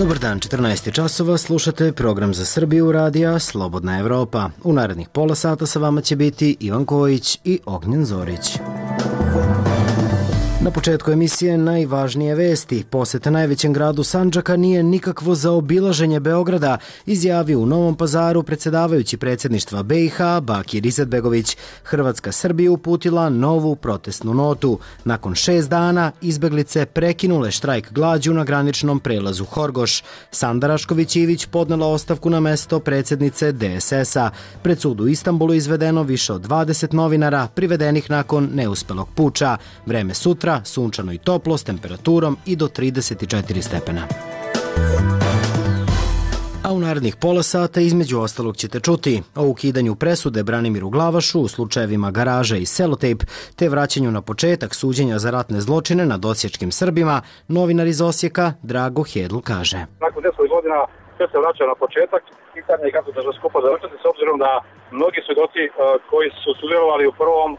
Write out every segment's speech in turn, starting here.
Dobar dan, 14 časova, slušate program za Srbiju radija Slobodna Evropa. U narednih pola sata sa vama će biti Ivan Kojić i Ognjen Zorić. Na početku emisije najvažnije vesti. Poseta najvećem gradu Sandžaka nije nikakvo zaobilaženje Beograda, izjavio u Novom Pazaru predsjedavajući predsjedništva BiH Bakir Izetbegović. Hrvatska Srbiji uputila novu protestnu notu. Nakon 6 dana izbeglice prekinule štrajk glađu na graničnom prelazu Horgoš. Sanda Rašković-Ivić podnela ostavku na mesto predsjednice DSS-a. Pred sud u Istanbulu izvedeno više od 20 novinara privedenih nakon neuspelog puča. Vreme sutra sunčano i toplo s temperaturom i do 34 stepena. A u narednih pola sata između ostalog ćete čuti o ukidanju presude Branimiru Glavašu u slučajevima Garaža i Selotejp, te vraćanju na početak suđenja za ratne zločine nad osječkim Srbima. Novinar iz Osijeka Drago Hedl kaže: Nakon 10 godina sve se vraća na početak. Pitanje je kako će se skupo završiti, s obzirom da mnogi svjedoci koji su sudjelovali u prvom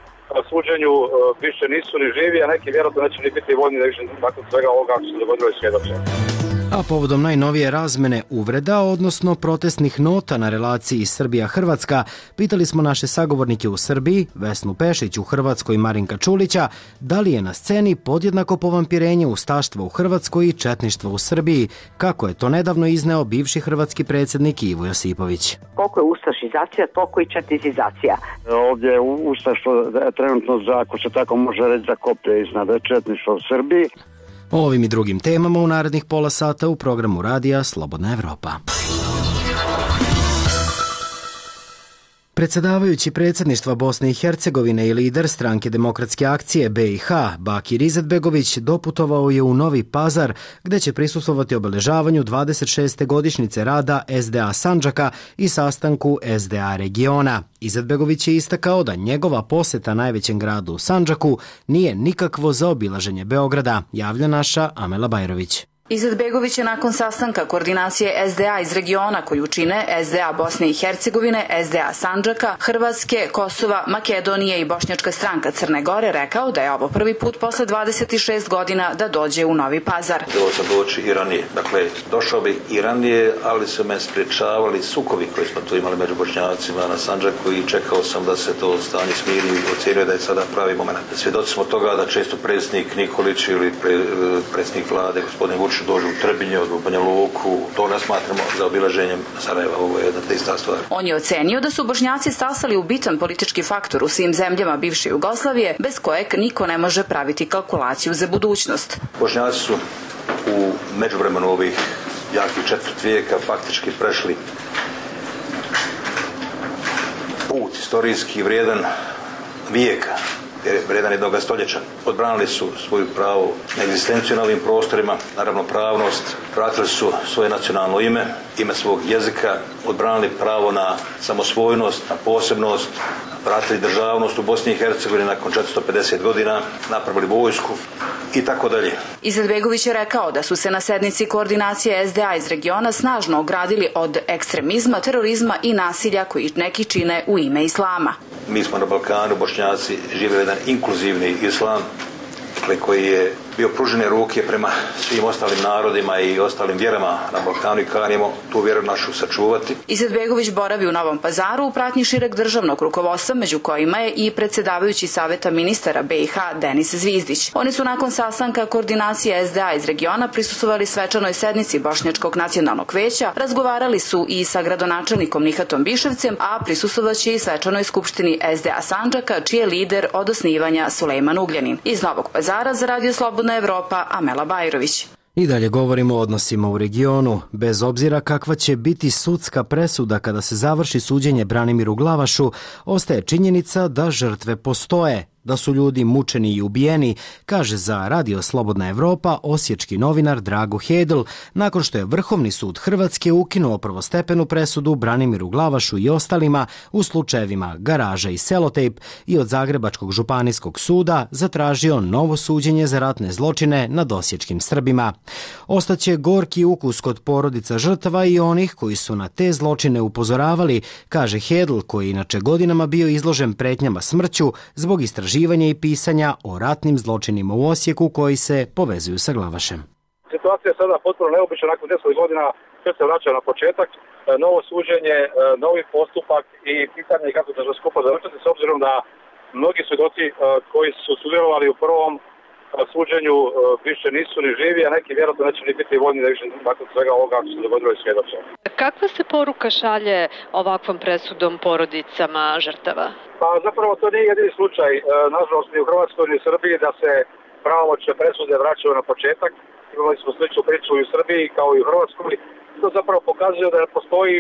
suđenju više nisu ni živi, a neki vjerojatno neće ni biti voljni da više nakon svega ovoga što se dogodilo i svjedoče. A povodom najnovije razmene uvreda, odnosno protestnih nota na relaciji Srbija-Hrvatska, pitali smo naše sagovornike u Srbiji, Vesnu Pešić u Hrvatskoj i Marinka Čulića, da li je na sceni podjednako povampirenje ustaštva u Hrvatskoj i četništva u Srbiji, kako je to nedavno izneo bivši hrvatski predsjednik Ivo Josipović. Koliko je ustašizacija, toliko i četnizacija. Ovdje je ustaštvo trenutno, ako se tako može reći, za koplje iznad četništva u Srbiji. O ovim i drugim temama u narednih pola sata u programu radija Slobodna Evropa. Predsjedavajući predsjedništva Bosne i Hercegovine i lider stranke Demokratske akcije BiH Bakir Izetbegović doputovao je u Novi Pazar, gdje će prisustvovati obeležavanju 26. godišnjice rada SDA Sandžaka i sastanku SDA regiona. Izetbegović je istakao da njegova posjeta najvećem gradu Sandžaku nije nikakvo zaobilaženje Beograda, javlja naša Amela Bajrović. Izetbegović je nakon sastanka koordinacije SDA iz regiona koju čine SDA Bosne i Hercegovine, SDA Sandžaka, Hrvatske, Kosova, Makedonije i Bošnjačka stranka Crne Gore rekao da je ovo prvi put posle 26 godina da dođe u Novi Pazar. Bilo sam doći i ranije. Dakle, došao bih i ranije, ali su me sprječavali sukobi koji smo tu imali među Bošnjacima na Sandžaku i čekao sam da se to stanje smiri i ocenio da je sada pravi moment. Svjedoci smo toga da često predsjednik Nikolić ili predsjednik vlade, gospodin Vučić, dođu u Trebinje, od Banja Luku, to ne smatramo za obilaženjem Sarajeva, ovo je jedna te ista stvar. On je ocenio da su Bošnjaci stasali u bitan politički faktor u svim zemljama bivše Jugoslavije, bez kojeg niko ne može praviti kalkulaciju za budućnost. Bošnjaci su u međuvremenu ovih jakih četvrt vijeka faktički prešli put istorijski vrijedan vijeka, vrijedan jednog stoljeća. Odbranili su svoju pravo na egzistenciju na ovim prostorima, na ravnopravnost, vratili su svoje nacionalno ime, ime svog jezika, odbranili pravo na samosvojnost, na posebnost, vratili državnost u Bosni i Hercegovini nakon 450 godina, napravili vojsku i tako dalje. Izetbegović je rekao da su se na sednici koordinacije SDA iz regiona snažno ogradili od ekstremizma, terorizma i nasilja koji neki čine u ime islama. Mi smo na Balkanu, Bošnjaci, žive jedan inkluzivni islam koji je bio pružene ruke prema svim ostalim narodima i ostalim vjerama na Balkanu i kanimo tu vjeru našu sačuvati. Izetbegović boravi u Novom Pazaru u pratnji šireg državnog rukovodstva, među kojima je i predsjedavajući saveta ministara BiH Denis Zvizdić. Oni su nakon sastanka koordinacije SDA iz regiona prisustvovali svečanoj sednici Bošnjačkog nacionalnog veća, razgovarali su i sa gradonačelnikom Nihatom Biševcem, a prisustvovaće i svečanoj skupštini SDA Sandžaka, čiji je lider od osnivanja Sulejman Ugljanin. Iz Novog Pazara za Radio Slobodna Evropa, Amela Bajrović. I dalje govorimo o odnosima u regionu. Bez obzira kakva će biti sudska presuda kada se završi suđenje Branimiru Glavašu, ostaje činjenica da žrtve postoje, da su ljudi mučeni i ubijeni, kaže za Radio Slobodna Evropa osječki novinar Drago Hedl, nakon što je Vrhovni sud Hrvatske ukinuo prvostepenu presudu Branimiru Glavašu i ostalima u slučajevima Garaža i Selotejp i od Zagrebačkog županijskog suda zatražio novo suđenje za ratne zločine nad osječkim Srbima. Ostaće gorki ukus kod porodica žrtava i onih koji su na te zločine upozoravali, kaže Hedl, koji inače godinama bio izložen pretnjama smrću zbog istraživanja i pisanja o ratnim zločinima u Osijeku koji se povezuju sa Glavašem. situacija je sada potpuno neobična, nakon 10 godina sve se vraća na početak, novo suđenje, novi postupak i pitanje kako će se skupa završiti, s obzirom da mnogi svjedoci koji su sudjelovali u prvom suđenju više nisu ni živi, a neki vjerojatno neće ni biti voljni da više nakon svega ovoga što se dogodilo i svjedoče. Kakva se poruka šalje ovakvom presudom porodicama žrtava? Pa zapravo to nije jedini slučaj, nažalost ni u Hrvatskoj ni u Srbiji, da se pravomoćne presude vraćaju na početak. Imali smo sličnu priču i u Srbiji kao i u Hrvatskoj. To zapravo pokazuje da ne postoji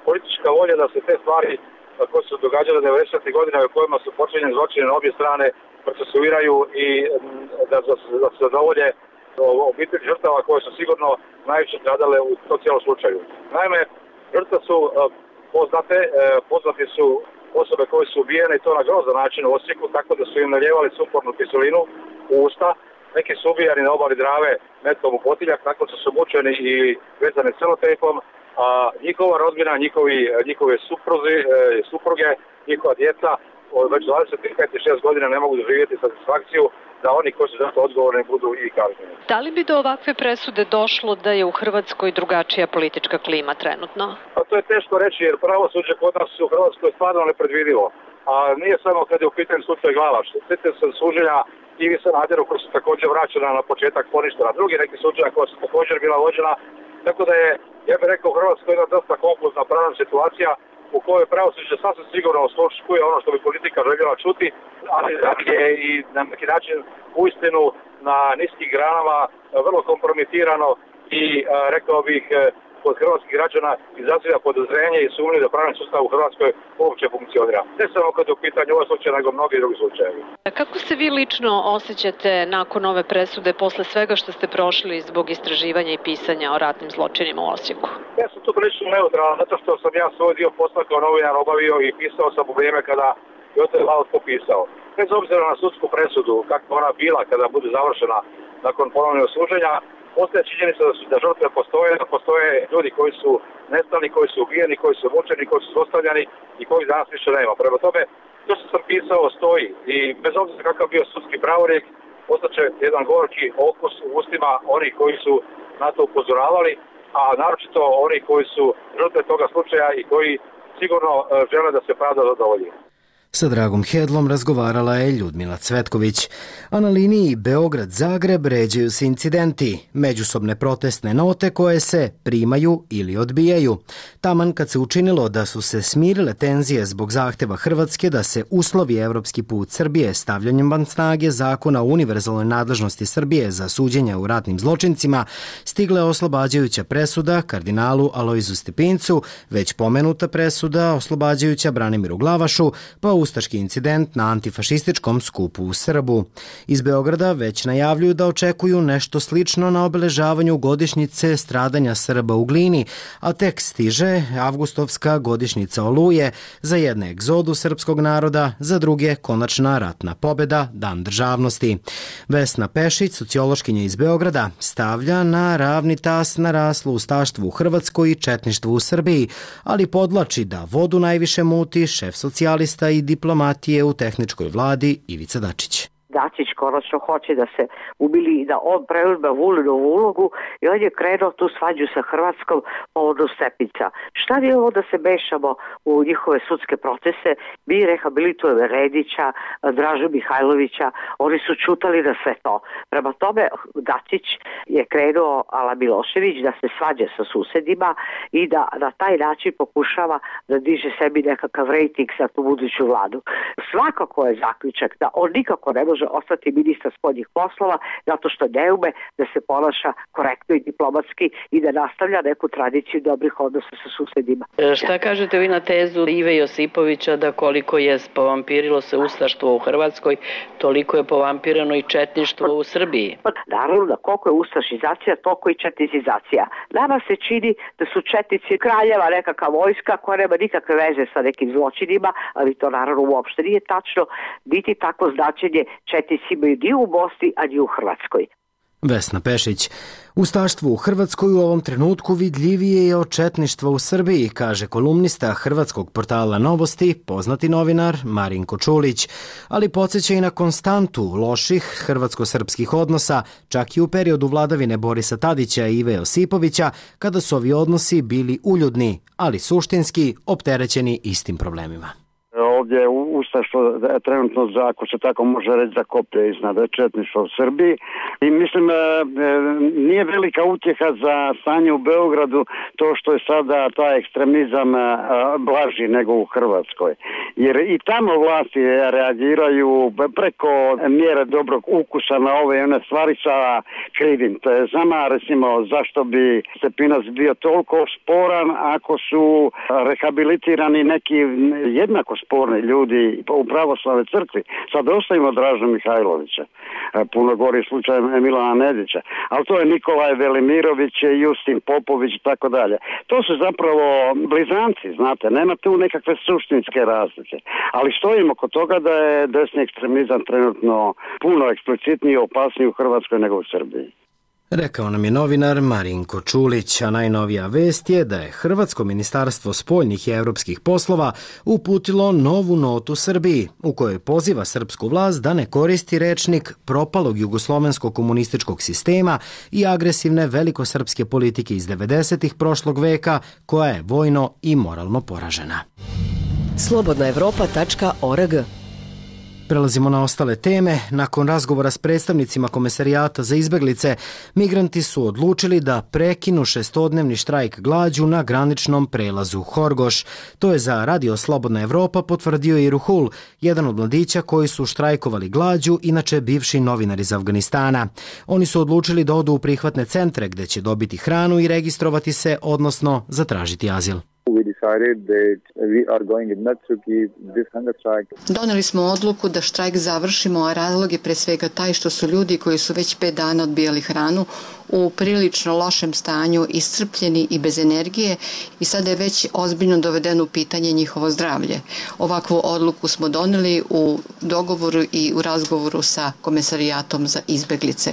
politička volja da se te stvari koje su događale 90. godina u kojima su počinjeni zločini na obje strane procesuiraju i da se zadovolje obitelji žrtava koje su sigurno najviše stradale u to cijelom slučaju. Naime, žrtve su poznati su osobe koje su ubijene i to na grozan način u Osijeku, tako da su im naljevali sumpornu kiselinu u usta. Neki su ubijani na obali Drave metkom u potiljak, tako su mučeni i vezani celotejpom, a njihova rodbina, njihove supruge, njihova djeca već 25-6 godina ne mogu doživjeti satisfakciju da oni koji su za to odgovorni budu i kažnjeni. Da li bi do ovakve presude došlo da je u Hrvatskoj drugačija politička klima trenutno? Pa to je teško reći jer pravosuđe kod nas u Hrvatskoj stvarno nepredvidivo. A nije samo kad je u pitanju slučaj Glavaš. Sjetite se suđenja Ivi Sanaderu koji su također vraćena na početak poništena. Drugi neki suđenja koja su također bila vođena. Tako da je, ja bih rekao, u Hrvatskoj jedna dosta konfuzna pravna situacija u kojoj pravosuđe sasvim sigurno osluškuje ono što bi politika željela čuti, ali je i na neki način uistinu na niskim granama vrlo kompromitirano i rekao bih kod hrvatskih građana izaziva podozrenje i sumnju da pravni sustav u Hrvatskoj uopće funkcionira. Ne samo kad je u pitanju ovaj slučaj, nego mnogi drugi slučajevi. Kako se vi lično osjećate nakon ove presude posle svega što ste prošli zbog istraživanja i pisanja o ratnim zločinima u Osijeku? Ja sam tu prilično neutralan, zato što sam ja svoj dio posla kao novinar obavio i pisao sam u vrijeme kada je o tome malo pisao. Bez obzira na sudsku presudu, kakva ona bila kada bude završena nakon ponovnog suđenja, postoje činjenica da žrtve postoje ljudi koji su nestali, koji su ubijeni, koji su mučeni, koji su zlostavljani i kojih danas više nema. Prema tome, to što sam pisao stoji i bez obzira kakav bio sudski pravorijek, ostaće jedan gorki okus u ustima onih koji su na to upozoravali, a naročito oni koji su žrtve toga slučaja i koji sigurno žele da se pravda zadovolji. Sa Dragom Hedlom razgovarala je Ljudmila Cvetković, a na liniji Beograd-Zagreb ređaju se incidenti, međusobne protestne note koje se primaju ili odbijaju. Taman kad se učinilo da su se smirile tenzije zbog zahteva Hrvatske da se uslovi evropski put Srbije stavljanjem van snage zakona o univerzalnoj nadležnosti Srbije za suđenje u ratnim zločincima, stigla je oslobađajuća presuda kardinalu Alojzu Stepincu, već pomenuta presuda oslobađajuća Branimiru Glavašu, pa ustaški incident na antifašističkom skupu u Srbu. Iz Beograda već najavljuju da očekuju nešto slično na obeležavanju godišnjice stradanja Srba u Glini, a tek stiže avgustovska godišnjica Oluje, za jedne egzodu srpskog naroda, za druge konačna ratna pobjeda, Dan državnosti. Vesna Pešić, sociološkinja iz Beograda, stavlja na ravni tas naraslo ustaštvo u Hrvatskoj i četništvo u Srbiji, ali podlači da vodu najviše muti šef socijalista i diplomatije u tehničkoj vladi Ivica Dačić. Dačić konačno hoće da se ubili i da on preuzme Vulinovu ulogu i on je krenuo tu svađu sa Hrvatskom povodom Stepinca. Šta je ovo da se mešamo u njihove sudske procese? Mi rehabilitujemo Redića, Dražu Mihajlovića, oni su čutali na sve to. Prema tome Dačić je krenuo ala Milošević da se svađa sa susedima i da na taj način pokušava da diže sebi nekakav rejting za tu buduću vladu. Svakako je zaključak da on nikako ne može ostati ministar spoljnih poslova zato što ne ume da se ponaša korektno i diplomatski i da nastavlja neku tradiciju dobrih odnosa sa susedima. Šta kažete vi na tezu Ive Josipovića da koliko je povampirilo se ustaštvo u Hrvatskoj, toliko je povampirano i četništvo u Srbiji? Naravno da koliko je ustašizacija, toliko i četnizizacija. Nama se čini da su četnici kraljeva nekakva vojska koja nema nikakve veze sa nekim zločinima, ali to naravno uopšte nije tačno, niti tako značenje četnici imaju ni u Bosni, a ni u Hrvatskoj. Vesna Pešić. Ustaštvo u Hrvatskoj u ovom trenutku vidljivije je od četništva u Srbiji, kaže kolumnista hrvatskog portala Novosti, poznati novinar Marinko Čulić, ali podsjeća i na konstantu loših hrvatsko-srpskih odnosa, čak i u periodu vladavine Borisa Tadića i Ive Josipovića, kada su ovi odnosi bili uljudni, ali suštinski opterećeni istim problemima. Ovdje je ustaštvo trenutno, ako se tako može reći, za koplje iznad četništva u Srbiji i mislim nije velika utjeha za stanje u Beogradu to što je sada taj ekstremizam blaži nego u Hrvatskoj. Jer i tamo vlasti reagiraju preko mjere dobrog ukusa na ove i one stvari sa krivim. To je znamo, recimo, zašto bi Stepinac bio toliko sporan ako su rehabilitirani neki jednako sporni ljudi u pravoslavnoj crkvi. Sad ostavimo Draža Mihajlovića, puno gori slučaj Milana Nedića, ali to je Nikolaj Velimirović, Justin Popović i tako dalje. To su zapravo blizanci, znate, nema tu nekakve suštinske razlike. Ali stojimo kod toga da je desni ekstremizam trenutno puno eksplicitniji i opasniji u Hrvatskoj nego u Srbiji. Rekao nam je novinar Marinko Čulić, a najnovija vest je da je Hrvatsko ministarstvo spoljnih i evropskih poslova uputilo novu notu Srbiji, u kojoj poziva srpsku vlast da ne koristi rečnik propalog jugoslovenskog komunističkog sistema i agresivne velikosrpske politike iz 90-ih prošlog veka, koja je vojno i moralno poražena. Slobodnaevropa.org. Prelazimo na ostale teme. Nakon razgovora s predstavnicima Komesarijata za izbeglice, migranti su odlučili da prekinu 6-dnevni štrajk glađu na graničnom prelazu Horgoš. To je za Radio Slobodna Evropa potvrdio i Ruhul, jedan od mladića koji su štrajkovali glađu, inače bivši novinar iz Afganistana. Oni su odlučili da odu u prihvatne centre gde će dobiti hranu i registrovati se, odnosno zatražiti azil. Doneli smo odluku da štrajk završimo, a razlog je pre svega taj što su ljudi koji su već 5 dana odbijali hranu u prilično lošem stanju, iscrpljeni i bez energije i sada je već ozbiljno dovedeno u pitanje njihovo zdravlje. Ovakvu odluku smo doneli u dogovoru i u razgovoru sa Komesarijatom za izbeglice.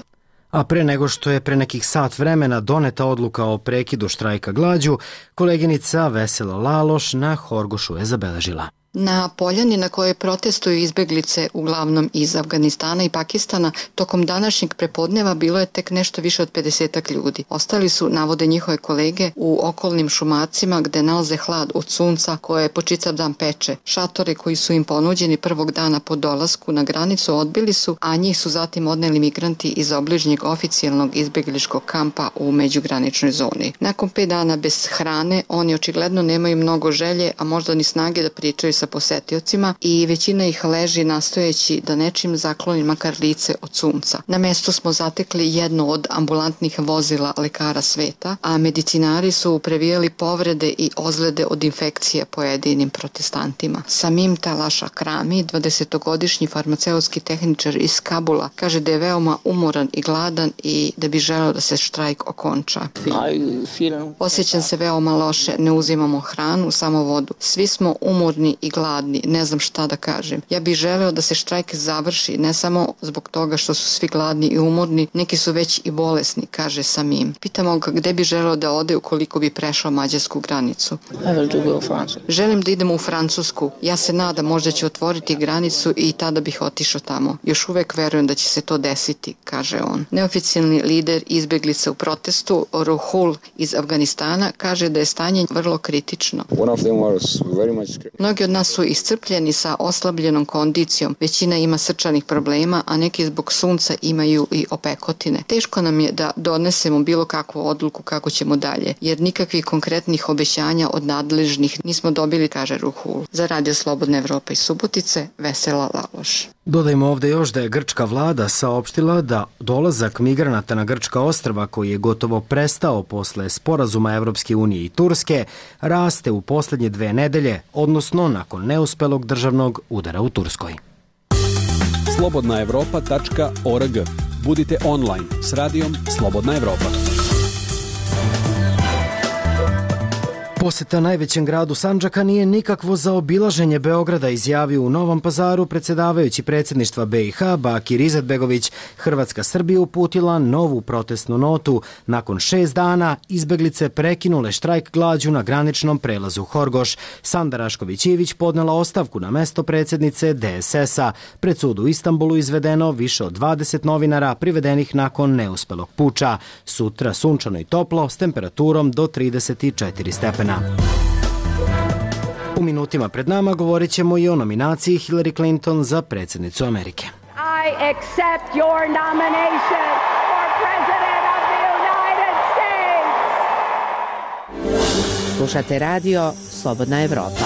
A pre nego što je pre nekih sat vremena doneta odluka o prekidu štrajka glađu, koleginica Vesela Laloš na Horgošu je zabeležila. Na poljani na kojoj protestuju izbeglice uglavnom iz Afganistana i Pakistana, tokom današnjeg prepodneva bilo je tek nešto više od 50 ljudi. Ostali su, navode njihove kolege, u okolnim šumacima gde nalaze hlad od sunca koje po čitav dan peče. Šatore koji su im ponuđeni prvog dana po dolasku na granicu odbili su, a njih su zatim odneli migranti iz obližnjeg oficijalnog izbegličkog kampa u međugraničnoj zoni. Nakon 5 dana bez hrane, oni očigledno nemaju mnogo želje, a možda ni snage da pričaju sa posetiocima i većina ih leži nastojeći da nečim zakloni makar lice od sunca. Na mestu smo zatekli jedno od ambulantnih vozila lekara sveta, a medicinari su previjali povrede i ozljede od infekcije pojedinim protestantima. Samim Talaša Krami, 20-godišnji farmaceutski tehničar iz Kabula, kaže da je veoma umoran i gladan i da bi želeo da se štrajk okonča. Osjećam se veoma loše, ne uzimamo hranu, samo vodu. Svi smo umorni i gladni, ne znam šta da kažem. Ja bih želeo da se štrajk završi, ne samo zbog toga što su svi gladni i umorni, neki su već i bolesni, kaže Samim. Pitamo ga gde bi želeo da ode ukoliko bi prešao mađarsku granicu. Želim da idem u Francusku. Ja se nadam možda će otvoriti granicu i tada bih otišao tamo. Još uvek verujem da će se to desiti, kaže on. Neoficijalni lider izbeglica u protestu, Ruhul iz Afganistana, kaže da je stanje vrlo kritično. Mnogi od nas su iscrpljeni sa oslabljenom kondicijom, većina ima srčanih problema, a neki zbog sunca imaju i opekotine. Teško nam je da donesemo bilo kakvu odluku kako ćemo dalje, jer nikakvih konkretnih obećanja od nadležnih nismo dobili, kaže Ruhul. Za Radio Slobodna Evropa iz Subotice, Vesela Laloš. Dodajmo ovde još da je grčka vlada saopštila da dolazak migranata na grčka ostrva, koji je gotovo prestao posle sporazuma Evropske unije i Turske, raste u poslednje 2 nedelje, odnosno nakon neuspelog državnog udara u Turskoj. Slobodnaevropa.org. Budite online s radijom Slobodna Evropa. Poseta najvećem gradu Sandžaka nije nikakvo zaobilaženje Beograda, izjavio u Novom Pazaru predsjedavajući predsjedništva BiH Bakir Izetbegović. Hrvatska Srbija uputila novu protestnu notu. Nakon 6 dana izbeglice prekinule štrajk glađu na graničnom prelazu Horgoš. Sanda Rašković-Ivić podnela ostavku na mesto predsjednice DSS-a. Pred sud u Istanbulu izvedeno više od 20 novinara privedenih nakon neuspelog puča. Sutra sunčano i toplo s temperaturom do 34 stepena. U minutima pred nama govorit ćemo i o nominaciji Hillary Clinton za predsjednicu Amerike. I accept your nomination for President of the United States. Slušate radio Slobodna Evropa.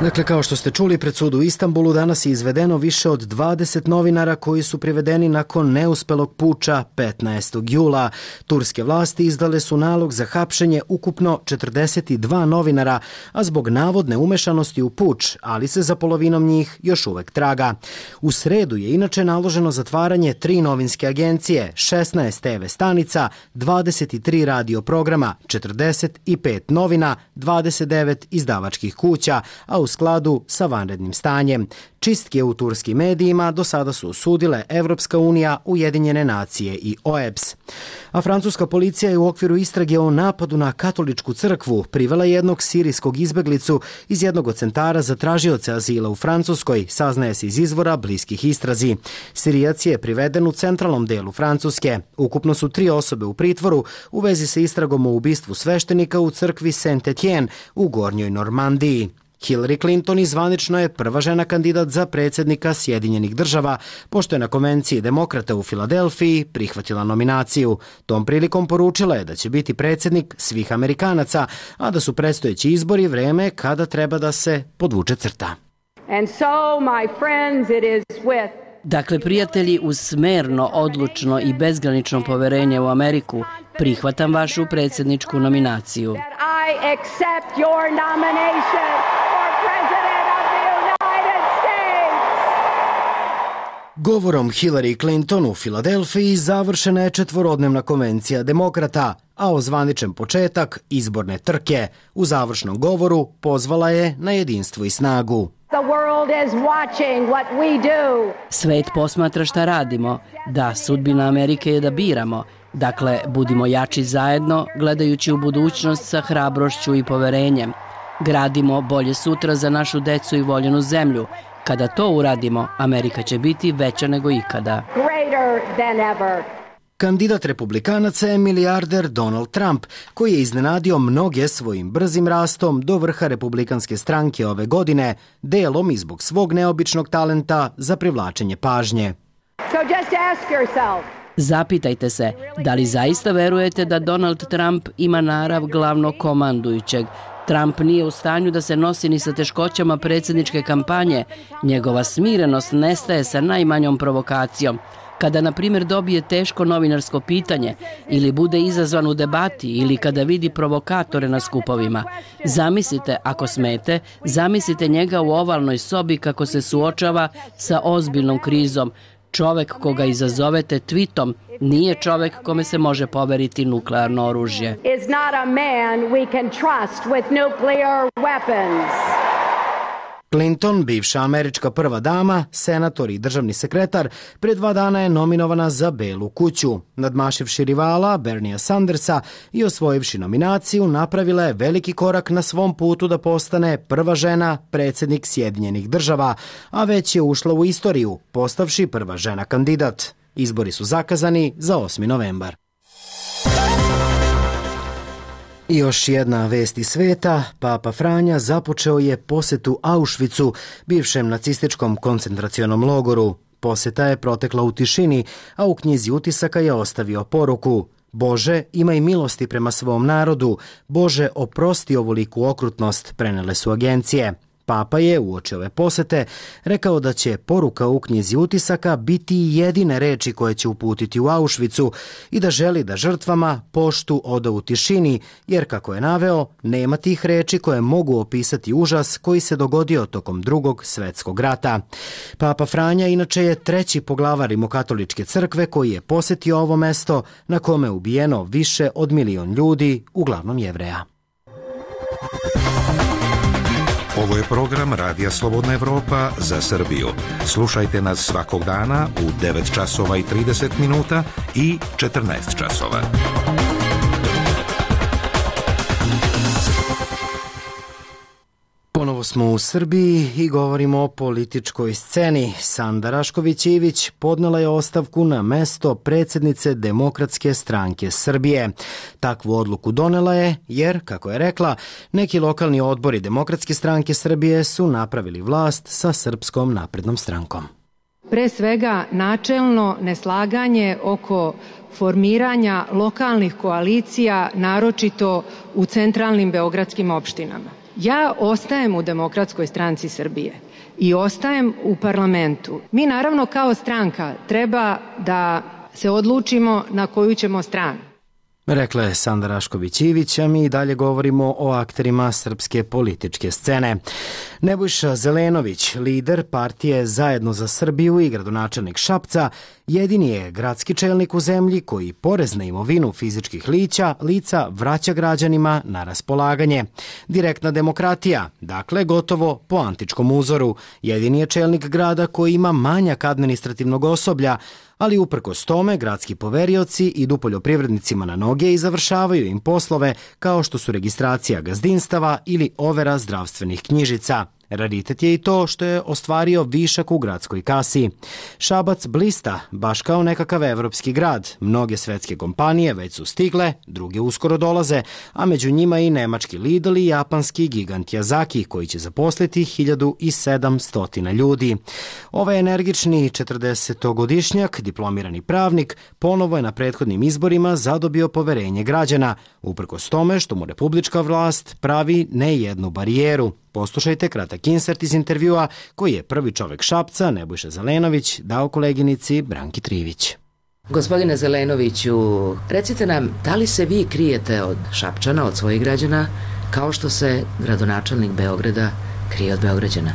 Dakle, kao što ste čuli, pred sud u Istanbulu danas je izvedeno više od 20 novinara koji su privedeni nakon neuspelog puča 15. jula. Turske vlasti izdale su nalog za hapšenje ukupno 42 novinara, a zbog navodne umešanosti u puč, ali se za polovinom njih još uvek traga. U sredu je inače naloženo zatvaranje 3 novinske agencije, 16 TV stanica, 23 radio programa, 45 novina, 29 izdavačkih kuća, a u skladu sa vanrednim stanjem. Čistke u turskim medijima do sada su osudile Evropska unija, Ujedinjene nacije i OEBS. A francuska policija je u okviru istrage o napadu na katoličku crkvu privela jednog sirijskog izbeglicu iz jednog od centara za tražioce azila u Francuskoj, saznaje se iz izvora bliskih istrazi. Sirijac je priveden u centralnom delu Francuske. Ukupno su 3 osobe u pritvoru u vezi sa istragom o ubistvu sveštenika u crkvi Saint-Etienne u Gornjoj Normandiji. Hillary Clinton zvanično je prva žena kandidat za predsjednika Sjedinjenih država, pošto je na konvenciji demokrata u Filadelfiji prihvatila nominaciju. Tom prilikom poručila je da će biti predsjednik svih Amerikanaca, a da su predstojeći izbori vreme kada treba da se podvuče crta. And so, my friends, it is with Dakle, prijatelji, uz smerno, odlučno i bezgranično poverenje u Ameriku, prihvatam vašu predsjedničku nominaciju. I accept your nomination for President of the United States. Govorom Hillary Clinton u Filadelfiji završena je 4-dnevna konvencija demokrata, a ozvaničen početak izborne trke. U završnom govoru pozvala je na jedinstvo i snagu. The world is watching what we do. Svet posmatra šta radimo. Da, sudbina Amerike je da biramo. Dakle, budimo jači zajedno, gledajući u budućnost sa hrabrošću i poverenjem. Gradimo bolje sutra za našu decu i voljenu zemlju. Kada to uradimo, Amerika će biti veća nego ikada. Greater than ever. Kandidat republikanaca je milijarder Donald Trump, koji je iznenadio mnoge svojim brzim rastom do vrha republikanske stranke ove godine, delom i zbog svog neobičnog talenta za privlačenje pažnje. So just ask yourself. Zapitajte se, da li zaista verujete da Donald Trump ima narav glavnog komandujućeg? Trump nije u stanju da se nosi ni sa teškoćama predsjedničke kampanje. Njegova smirenost nestaje sa najmanjom provokacijom. Kada, na primjer, dobije teško novinarsko pitanje ili bude izazvan u debati ili kada vidi provokatore na skupovima. Zamislite, ako smete, zamislite njega u ovalnoj sobi kako se suočava sa ozbiljnom krizom. Čovek koga izazovete tweetom nije čovek kome se može poveriti nuklearno oružje. Is not a man we can trust with nuclear weapons. Clinton, bivša američka prva dama, senator i državni sekretar, pre 2 dana je nominovana za Belu kuću. Nadmašivši rivala Berniea Sandersa i osvojivši nominaciju, napravila je veliki korak na svom putu da postane prva žena predsjednik Sjedinjenih država, a već je ušla u istoriju, postavši prva žena kandidat. Izbori su zakazani za 8. novembar. I još jedna vest iz sveta. Papa Franja započeo je posetu Auschwitzu, bivšem nacističkom koncentracionom logoru. Poseta je protekla u tišini, a u knjizi utisaka je ostavio poruku: Bože, imaj milosti prema svom narodu. Bože, oprosti ovoliku okrutnost, prenele su agencije. Papa je uoči ove posete rekao da će poruka u knjizi utisaka biti jedine reči koje će uputiti u Auschwitzu i da želi da žrtvama poštu oda u tišini, jer, kako je naveo, nema tih reči koje mogu opisati užas koji se dogodio tokom Drugog svjetskog rata. Papa Franja inače je 3. poglavar Rimokatoličke crkve koji je posjetio ovo mesto na kome je ubijeno više od 1 milion ljudi, uglavnom Jevreja. Ovo je program Radija Slobodna Evropa za Srbiju. Slušajte nas svakog dana u 9 časova i 30 minuta i 14 časova. Ponovo smo u Srbiji i govorimo o političkoj sceni. Sanda Rašković-Ivić podnela je ostavku na mesto predsjednice Demokratske stranke Srbije. Takvu odluku donela je jer, kako je rekla, neki lokalni odbori Demokratske stranke Srbije su napravili vlast sa Srpskom naprednom strankom. Pre svega načelno neslaganje oko formiranja lokalnih koalicija, naročito u centralnim beogradskim opštinama. Ja ostajem u Demokratskoj stranci Srbije i ostajem u parlamentu. Mi naravno kao stranka treba da se odlučimo na koju ćemo stranu. Rekla je Sanda Rašković-Ivić, a mi i dalje govorimo o akterima srpske političke scene. Nebojša Zelenović, lider partije Zajedno za Srbiju i gradonačelnik Šapca, jedini je gradski čelnik u zemlji koji porez na imovinu fizičkih lica vraća građanima na raspolaganje. Direktna demokratija, dakle gotovo po antičkom uzoru. Jedini je čelnik grada koji ima manjak administrativnog osoblja, ali uprkos tome gradski poverioci idu poljoprivrednicima na noge i završavaju im poslove kao što su registracija gazdinstava ili overa zdravstvenih knjižica. Raritet je i to što je ostvario višak u gradskoj kasi. Šabac blista baš kao nekakav evropski grad. Mnoge svetske kompanije već su stigle, druge uskoro dolaze, a među njima i nemački Lidl i japanski gigant Yazaki koji će zaposliti 1700 ljudi. Ovaj energični 40-godišnjak, diplomirani pravnik, ponovo je na prethodnim izborima zadobio poverenje građana, uprkos tome što mu republička vlast pravi ne jednu barijeru. Poslušajte kratak insert iz intervjua koji je prvi čovek Šapca, Nebojša Zelenović, dao koleginici Branki Trivić. Gospodine Zelenoviću, recite nam, da li se vi krijete od Šapčana, od svojih građana, kao što se gradonačelnik Beograda krije od Beograđana?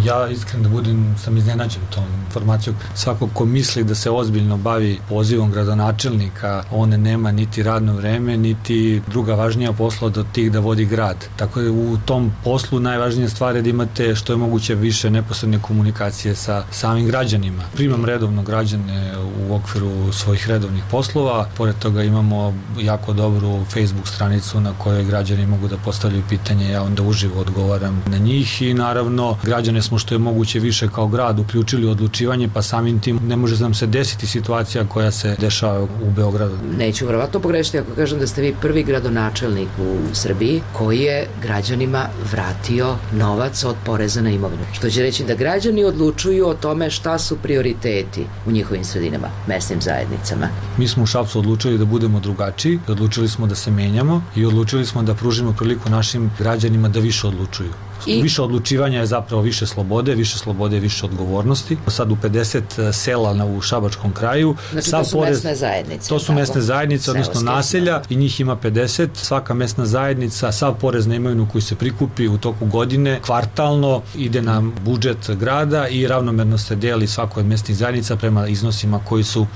Ja iskreno da budem, sam iznenađen tom informacijom. Svako ko misli da se ozbiljno bavi pozivom gradonačelnika, on nema niti radno vreme, niti druga važnija posla do tih da vodi grad. Tako da u tom poslu najvažnija stvar je da imate što je moguće više neposredne komunikacije sa samim građanima. Primam redovno građane u okviru svojih redovnih poslova, pored toga imamo jako dobru Facebook stranicu na kojoj građani mogu da postavljaju pitanje, ja onda uživo odgovaram na njih i naravno građane smo što je moguće više kao grad uključili u odlučivanje, pa samim tim ne može nam se desiti situacija koja se dešava u Beogradu. Neću verovatno pogrešiti ako kažem da ste vi prvi gradonačelnik u Srbiji koji je građanima vratio novac od poreza na imovinu. Što će reći da građani odlučuju o tome šta su prioriteti u njihovim sredinama, mesnim zajednicama. Mi smo u Šapcu odlučili da budemo drugačiji, odlučili smo da se menjamo i odlučili smo da pružimo priliku našim građanima da više odlučuju. Više odlučivanja je zapravo više slobode je više odgovornosti. Sad u 50 sela u Šabačkom kraju. Znači to su mesne zajednice. To su mesne zajednice, odnosno naselja i njih ima 50. Svaka mesna zajednica, sav porez na imovinu koji se prikupi u toku godine, kvartalno ide na budžet grada i ravnomerno se deli svakoj od mesnih zajednica prema iznosima koji su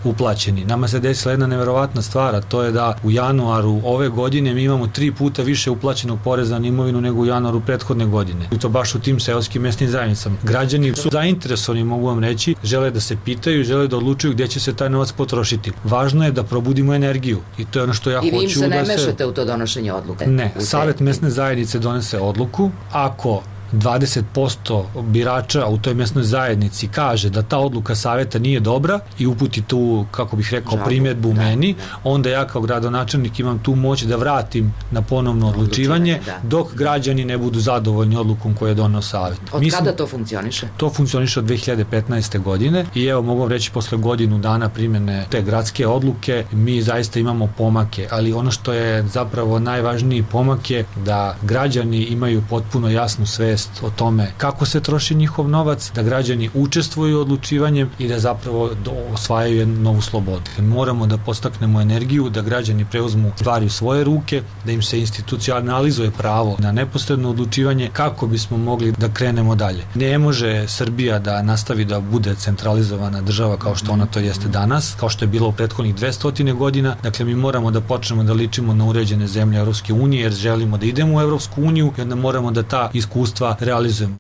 uplaćeni. Nama se desila jedna neverovatna stvar, a to je da u januaru ove godine mi imamo 3 puta više uplaćenog poreza na imovinu nego u januaru prethodne godine. I to baš u tim seoskim mesnim zajednicama. Građani su zainteresovani, mogu vam reći, žele da se pitaju, žele da odlučuju gdje će se taj novac potrošiti. Važno je da probudimo energiju i to je ono što ja hoću da se... I vi im se ne mešate u to donošenje odluke? Ne, Savet mesne zajednice donese odluku. Ako 20% birača u toj mesnoj zajednici kaže da ta odluka saveta nije dobra i uputi tu, kako bih rekao, primjedbu meni, onda ja kao gradonačelnik imam tu moć da vratim na ponovno odlučivanje dok građani ne budu zadovoljni odlukom koju je doneo savet. Od kada to funkcioniše? To funkcioniše od 2015. godine i evo mogu reći posle godinu dana primjene te gradske odluke mi zaista imamo pomake, ali ono što je zapravo najvažniji pomak je da građani imaju potpuno jasnu svest o tome kako se troši njihov novac, da građani učestvuju u odlučivanjem i da zapravo osvajaju jednu novu slobodu. Moramo da podstaknemo energiju, da građani preuzmu stvari u svoje ruke, da im se institucionalizuje pravo na neposredno odlučivanje kako bismo mogli da krenemo dalje. Ne može Srbija da nastavi da bude centralizovana država kao što ona to jeste danas, kao što je bilo u prethodnih 200 godina. Dakle, mi moramo da počnemo da ličimo na uređene zemlje Evropske unije jer želimo da idemo u Evropsku uniju i onda moramo da ta iskustva da realizujemo.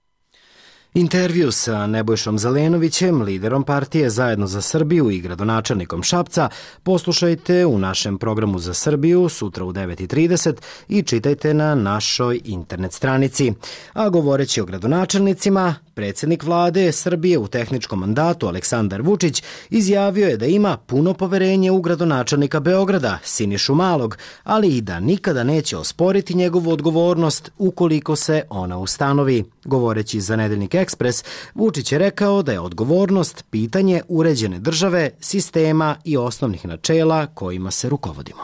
Intervju sa Nebojšom Zelenovićem, liderom partije Zajedno za Srbiju i gradonačelnikom Šapca, poslušajte u našem programu za Srbiju sutra u 9:30 i čitajte na našoj internet stranici. A govoreći o gradonačelnicima, predsjednik vlade Srbije u tehničkom mandatu Aleksandar Vučić izjavio je da ima puno poverenje u gradonačelnika Beograda Sinišu Malog, ali i da nikada neće osporiti njegovu odgovornost ukoliko se ona ustanovi. Govoreći za Nedeljnik Ekspres, Vučić je rekao da je odgovornost pitanje uređene države, sistema i osnovnih načela kojima se rukovodimo.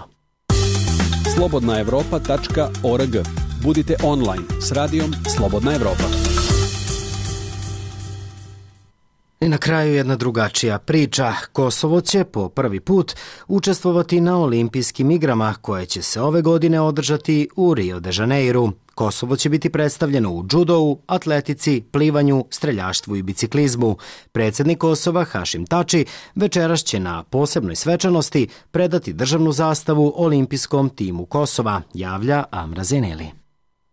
slobodnaevropa.org. Budite online s radijom Slobodna Evropa. I na kraju jedna drugačija priča. Kosovo će po prvi put učestvovati na olimpijskim igrama koje će se ove godine održati u Rio de Janeiru. Kosovo će biti predstavljeno u džudou, atletici, plivanju, streljaštvu i biciklizmu. Predsjednik Kosova Hašim Tači večeras će na posebnoj svečanosti predati državnu zastavu olimpijskom timu Kosova, javlja Amra Zeneli.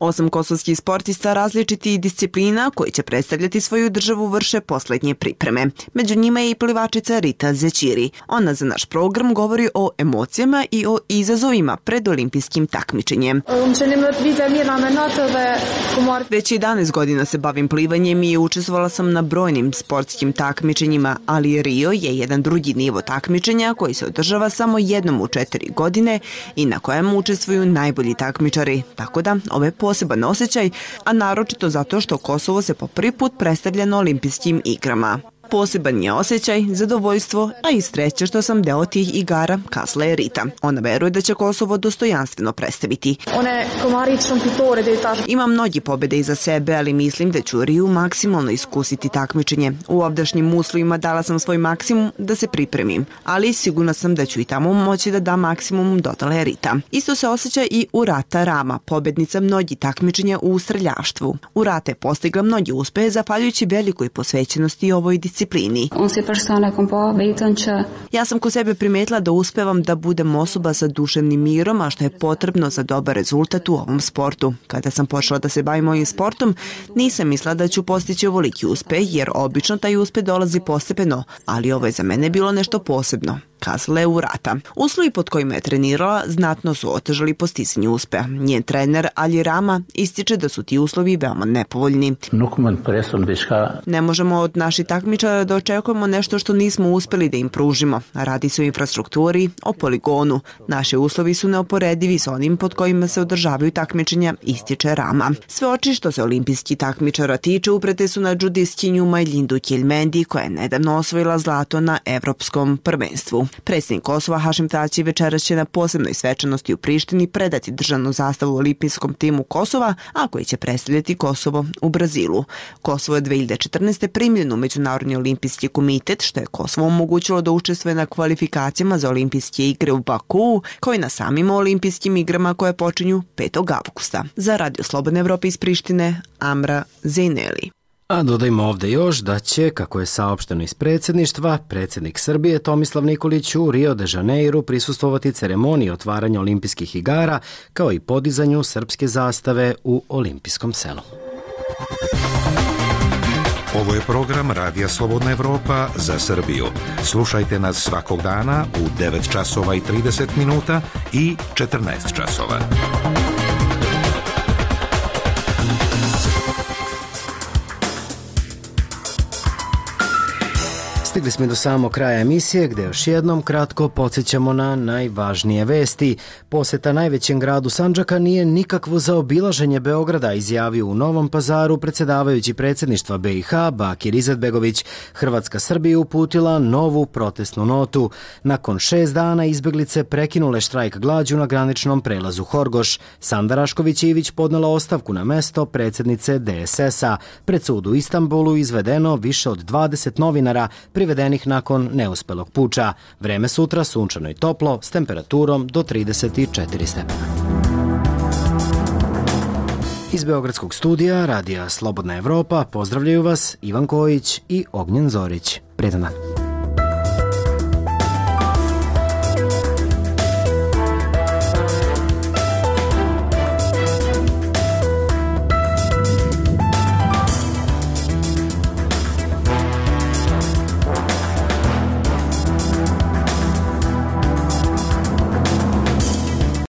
8 kosovskih sportista različitih disciplina koji će predstavljati svoju državu vrše poslednje pripreme. Među njima je i plivačica Rita Zećiri. Ona za naš program govori o emocijama i o izazovima pred olimpijskim takmičenjem. Već 11 godina se bavim plivanjem i učestvovala sam na brojnim sportskim takmičenjima, ali Rio je jedan drugi nivo takmičenja koji se održava samo jednom u 4 godine i na kojem učestvuju najbolji takmičari. Tako da, ove poseban osjećaj, a naročito zato što Kosovo se po prvi put predstavlja na olimpijskim igrama. Poseban je osjećaj, zadovoljstvo, a i sreća što sam deo tih igara, kazala je Rita. Ona veruje da će Kosovo dostojanstveno predstaviti. Imam mnogi pobjede iza sebe, ali mislim da ću Riju maksimalno iskusiti takmičenje. U ovdašnjim uslovima dala sam svoj maksimum da se pripremim, ali sigurna sam da ću i tamo moći da dam maksimum, dodala je Rita. Isto se osjeća i Urata Rama, pobednica mnogih takmičenja u streljaštvu. Urata je postigla mnogi uspehe zahvaljujući velikoj posvećenosti ovoj disciplini. Ja sam kod sebe primetila da uspevam da budem osoba sa duševnim mirom, a što je potrebno za dobar rezultat u ovom sportu. Kada sam počela da se bavim ovim sportom, nisam mislila da ću postići ovoliki uspeh, jer obično taj uspeh dolazi postepeno, ali ovo je za mene bilo nešto posebno, kazala je Urata. Uslovi pod kojima je trenirala znatno su otežali postizanje uspeha. Njen trener Ali Rama ističe da su ti uslovi veoma nepovoljni. Ne možemo od naših takmičara da očekujemo nešto što nismo uspeli da im pružimo. Radi se o infrastrukturi, o poligonu. Naši uslovi su neoporedivi s onim pod kojima se održavaju takmičenja, ističe Rama. Sve oči što se olimpijski takmičara tiče uprete su na džudistkinju Majlindu Kjelmendi, koja je nedavno osvojila zlato na Evropskom prvenstvu. Predsjednik Kosova Hašim Tači večeras će na posebnoj svečanosti u Prištini predati državnu zastavu olimpijskom timu Kosova, a koji će predstavljati Kosovo u Brazilu. Kosovo je 2014. primljeno u Međunarodni olimpijski komitet, što je Kosovo omogućilo da učestvuje na kvalifikacijama za olimpijske igre u Bakuu, kao i na samim olimpijskim igrama koje počinju 5. avgusta. Za Radio Slobodne Evrope iz Prištine, Amra Zeneli. A dodajmo ovdje još da će, kako je saopšteno iz predsjedništva, predsjednik Srbije Tomislav Nikolić u Rio de Janeiru prisustvovati ceremoniji otvaranja olimpijskih igara, kao i podizanju srpske zastave u olimpijskom selu. Ovo je program Radija Slobodna Evropa za Srbiju. Slušajte nas svakog dana u 9 časova i 30 minuta i 14 časova. Stigli smo do samog kraja emisije gdje još jednom kratko podsjećamo na najvažnije vesti. Posjeta najvećem gradu Sandžaka nije nikakvo zaobilaženje Beograda, izjavio u Novom Pazaru predsjedavajući predsjedništva BiH Bakir Izetbegović. Hrvatska Srbiji uputila novu protestnu notu. Nakon 6 dana izbjeglice prekinule štrajk glađu na graničnom prelazu Horgoš. Sanda Rašković-Ivić podnela ostavku na mesto predsjednice DSS-a. Pred sud u Istanbulu izvedeno više od 20 novinara privedenih nakon neuspelog puča. Vreme sutra sunčano i toplo s temperaturom do 34 stepena. Iz Beogradskog studija Radija Slobodna Evropa pozdravljaju vas Ivan Kojić i Ognjen Zorić. Prijetan dan.